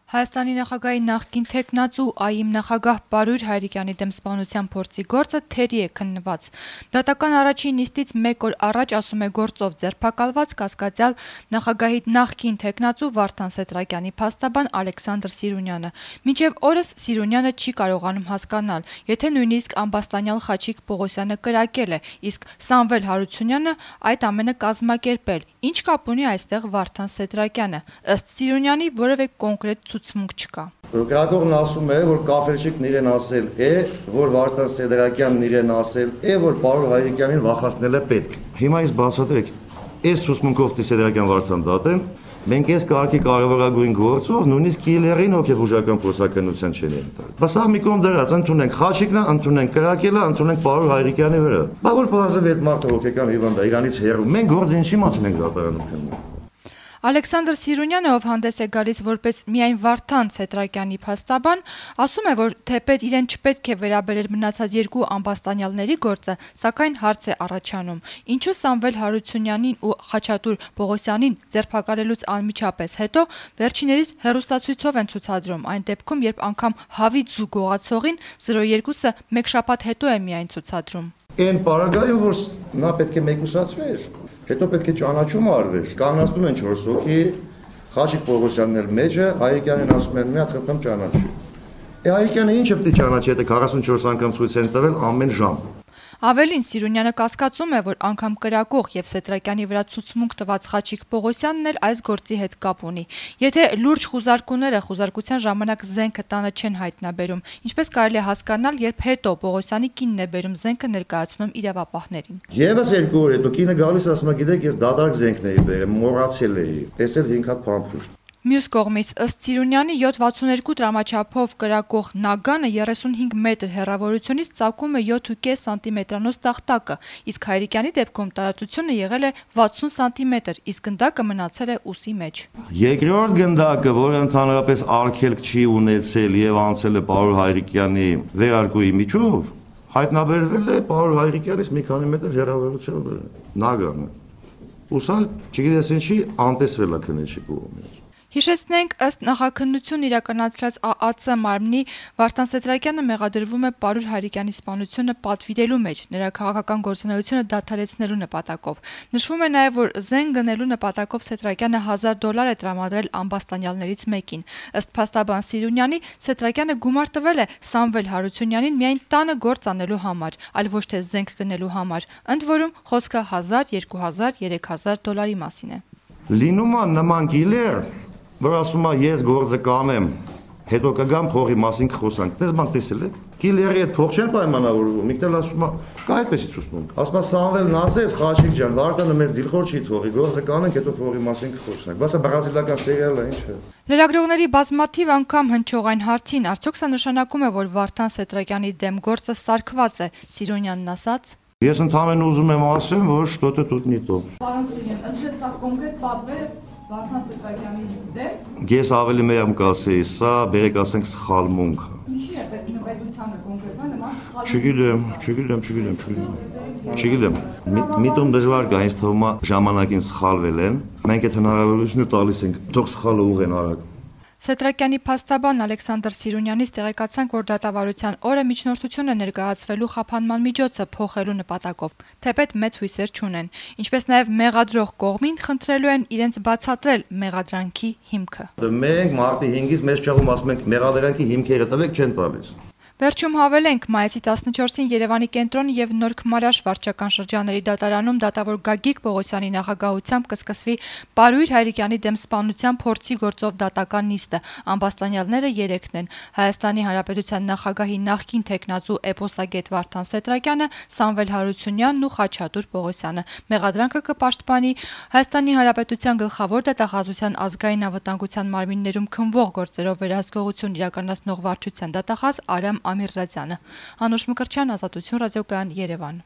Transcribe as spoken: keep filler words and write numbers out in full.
Հայաստանի նախագահի նախկին թեկնածու ԱԻՄ նախագահ Պարույր Հայրիկյանի դեմ սպանության փորձի գործը թերի է քննված։ Դատական առաջին նիստից մեկ օր առաջ, ասում է գործով ձերբակալված կասկածյալ նախագահի նախկին թեկնածու Վարդան Սեդրակյանի փաստաբան Ալեքսանդր Սիրունյանը։ Մինչև օրս Սիրունյանը չի կարողանում հասկանալ, եթե նույնիսկ ամբաստանյալ Խաչիկ Պողոսյանը կրակել է, իսկ Սամվել Հարությունյանը այդ ամենը կազմակերպել։ Ինչ կապ ունի այստեղ Վարդան Սեդրակյանը։ Ըստ Սիրունյանի որևէ կոնկրետ ցուցմունք չկա։ Գրագողն ասում է, որ Կաֆելչիկն իրեն ասել է, որ Վարդան Սեդրակյանն իրեն ասել է, որ պարոն Հայրիկյանին վախացնել է պետք։ Հիմա ինձ բացատրեք, այս ցուցմունքով Սեդրակյան Վարդան դատեն, մենք այս կարգի կարևորագույն գործով նույնիսկ Կիլերին հոգեբուժական փոխանցության չեն ենթարկել։ Բա սա մի կողմ դրած, ընդունենք Խաչիկն, ընդունենք կրակելը, ընդունենք պարոն Հայրիկյանի վրա։ Բա որ բազով այդ մարդը հոգեկան հիվանդ է, իրանից հեռու։ Մենք գործը ինչի մասին ենք դատարանում քննում։ Ալեքսանդր Սիրունյանը, ով հանդես է գալիս որպես միայն Վարդան Սեդրակյանի փաստաբան, ասում է, որ թեպետ իրեն չպետք է վերաբերել մնացած երկու ամբաստանյալների գործը, սակայն հարց է առաջանում. ինչու Սամվել Հարությունյանին ու Խաչատուր Պողոսյանին ձերբակալելուց անմիջապես հետո վերջիներիս հեռուստացույցով են ցուցադրում, այն դեպքում, երբ անգամ Հավիթ զուգողացողին զրո երկուսը մեկ շաբաթ հետո է միայն ցուցադրում։ Այն պարագայում, որ նա պետք է մեկուսացվեր, հետո պետք է ճանաչում արվեր, կանգնացնում են չորս հոգի, Խաչիկ Պողոսյանն էլ մեջը, Հայրիկյանին ասում են մի հատ խնդրեմ ճանաչի։ Է Հայրիկյանը ինչը պետք է ճանաչի, եթե քառասունչորս անգամ ցույց են տվել ամեն ժամ։ Ավելին, Սիրունյանը կասկածում է, որ անգամ կրակող եւ Սեդրակյանի վրա ցուցմունք տված Խաչիկ Պողոսյանն էլ այս գործի հետ կապ ունի։ Եթե լուրջ խուզարկուները խուզարկության ժամանակ զենքը տանը չեն հայտնաբերում, ինչպես կարելի է հասկանալ, երբ հետո Պողոսյանի կինն է բերում զենքը ներկայացնում իրավապահներին։ Եվս երկու օր հետո կինը գալիս ասում է, գիտեք, ես դատարկ զենքն էի բերել, մոռացել էի, տեսել հինգ հատ փամփուշտ։ Մյուս կողմից, ըստ Սիրունյանի, յոթ վաթսուն երկու տրամաչափով կրակող նագանը երեսունհինգ մետր հեռավորությունից ծակում է յոթ ու կես սանտիմետրանոց տախտակը, իսկ Հայրիկյանի դեպքում տարածությունը եղել է վաթսուն սանտիմետր, իսկ գնդակը մնացել է ուսի մեջ։ Երկրորդ գնդակը, որը ընդհանրապես արգելք չի ունեցել եւ անցել է պարոն Հայրիկյանի վերարկուի միջով, հայտնաբերվել է պարոն Հայրիկյանից մի քանի մետր հեռավորությամբ նագանը։ Ուսա, չգիտես ինչի, անտեսվել է քննիչի կողմից։ Հիշեցնենք, ըստ նախաքննություն իրականացրած ԱԱՑ մարմնի Վարդան Սեդրակյանը մեղադրվում է Պարույր Հայրիկյանի սպանությունը պատվիրելու մեջ, նրա քաղաքական գործունեությունը դադարեցնելու նպատակով։ Նշվում է նաև, որ զենք գնելու նպատակով Սեդրակյանը հազար դոլար է տրամադրել ամբաստանյալներից մեկին։ Ըստ փաստաբան Սիրունյանի, Սեդրակյանը գումար տվել է Սամվել Հարությունյանին միայն տանը գործ անելու համար, այլ ոչ թե զենք գնելու համար։ Ընդ որում խոսքը հազար, երկու հազար, երեք հազար դոլարի մասին է։ Լինում է նման գիլեր, որ ասում է ես գործը կանեմ, հետո կգամ փողի մասին կխոսանք։ Դες բան տեսել եք։ Կիլերի հետ փող չեն պայմանավորվում, իկտել ասում է, կա այդպեսի ցուցմունք։ Ասում է Սամվելն ասեց, Խաչիկ ջան, Վարդանը մեզ դիլխոր չի թողի, գործը կանենք, հետո փողի մասին կխոսանք։ Բասա բրազիլական սերիալ է, ինչ է։ Լրագրողների բազմաթիվ անգամ հնչող այն հարցին, արդյոք սա նշանակում է, որ Վարդան Սեդրակյանի դեմ գործը սարքված է, Սիրունյանն ասաց. Ես ընդհանրեն ուզում եմ ասեմ, որ что-то тут не то։ Պարոն Սիրուն, ըստ սա կոնկրետ պատվեր Վարդան Սեդրակյանի դեմ։ Ես ավելի մեղմ կասեի, սա բերեք ասենք սխալմունք։ Ինչի է պետք նպատությանը կոնկրետ նման սխալ։ Չգիտեմ, չգիտեմ, չգիտեմ, չգիտեմ։ Չգիտեմ։ Միտում դժվար կա, ինձ թվում է ժամանակին սխալվել են։ Մենք այդ հնարավորությունը տալիս ենք, թող սխալը ուղեն արագ։ Սեդրակյանի փաստաբան Ալեքսանդր Սիրունյանից տեղեկացանք, որ դատավարության օրը միջնորդությունը ներկայացվելու խափանման միջոցը փոխելու նպատակով, թեպետ մեծ հույսեր չունեն, ինչպես նաև մեղադրող կողմին խնդրելու են իրենց բացատրել մեղադրանքի հիմքը։ Մենք մարտի հինգից մեծ ճաղում ասում ենք մեղադրանքի հիմքերը տվեք, չեն տալիս։ Վերջում հավելենք, մայիսի տասնչորսին Երևանի կենտրոն եւ Նոր Քմարաշ վարչական շրջանների դատարանում դատավոր Գագիկ Պողոսյանի նախագահությամբ կսկսվի Պարույր Հայրիկյանի դեմ սպանության փորձի գործով դատական նիստը։ Ամբաստանյալները երեքն են՝ Հայաստանի Հանրապետության նախագահի նախկին թեկնածու էպոսագետ Վարդան Սեդրակյանը, Սամվել Հարությունյանն ու Խաչատուր Պողոսյանը։ Մեղադրանքը կպաշտպանի Հայաստանի Հանրապետության գլխավոր դատախազության ազգային անվտանգության մարմիններում քննվող գործերով վերահսկողություն իրականացնող վարչության դատախազ Արամ Ամիրզադյանը։ Անուշ Մկրտչյան, Ազատություն ռադիոկայան, Երևան։